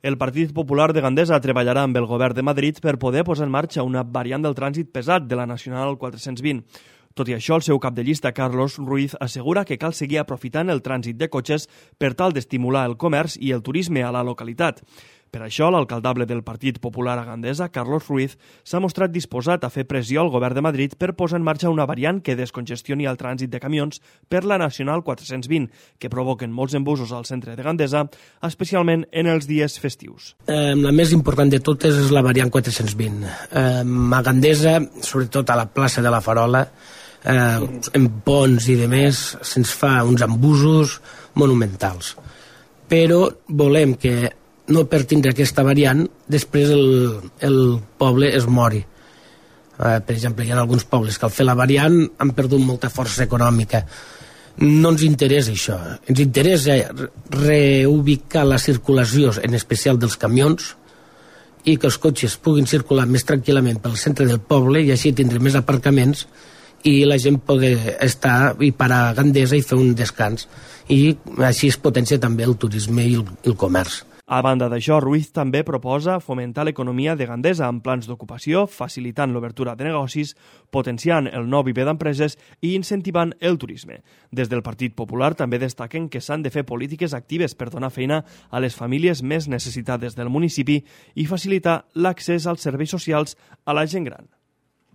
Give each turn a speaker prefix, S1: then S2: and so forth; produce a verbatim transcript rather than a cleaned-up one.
S1: El Partit Popular de Gandesa treballarà amb el govern de Madrid per poder posar en marxa una variant del trànsit pesat de la Nacional quatre-cents vint. Tot i això, el seu cap de llista, Carlos Ruiz, assegura que cal seguir aprofitant el trànsit de cotxes per tal d'estimular el comerç i el turisme a la localitat. Per això, l'alcaldable del Partit Popular a Gandesa, Carlos Ruiz, s'ha mostrat disposat a fer pressió al govern de Madrid per posar en marxa una variant que descongestioni el trànsit de camions per la Nacional quatre-cents vint, que provoquen molts embussos al centre de Gandesa, especialment en els dies festius.
S2: Eh, la més important de totes és la variant quatre-cents vint. Eh, a Gandesa, sobretot a la plaça de la Farola, eh, en ponts i demés, se'ns fa uns embussos monumentals. Però volem que no per tindre aquesta variant, després el, el poble es mori. Eh, per exemple, hi ha alguns pobles que al fer la variant han perdut molta força econòmica. No ens interessa això. Ens interessa reubicar la circulació, en especial dels camions, i que els cotxes puguin circular més tranquil·lament pel centre del poble i així tindre més aparcaments i la gent pugui estar i parar a Gandesa i fer un descans. I així es potencia també el turisme i el, el comerç.
S1: A banda d'això, Ruiz també proposa fomentar l'economia de Gandesa amb plans d'ocupació, facilitant l'obertura de negocis, potenciant el nou viver d'empreses i incentivant el turisme. Des del Partit Popular també destaquen que s'han de fer polítiques actives per donar feina a les famílies més necessitades del municipi i facilitar l'accés als serveis socials a la gent gran.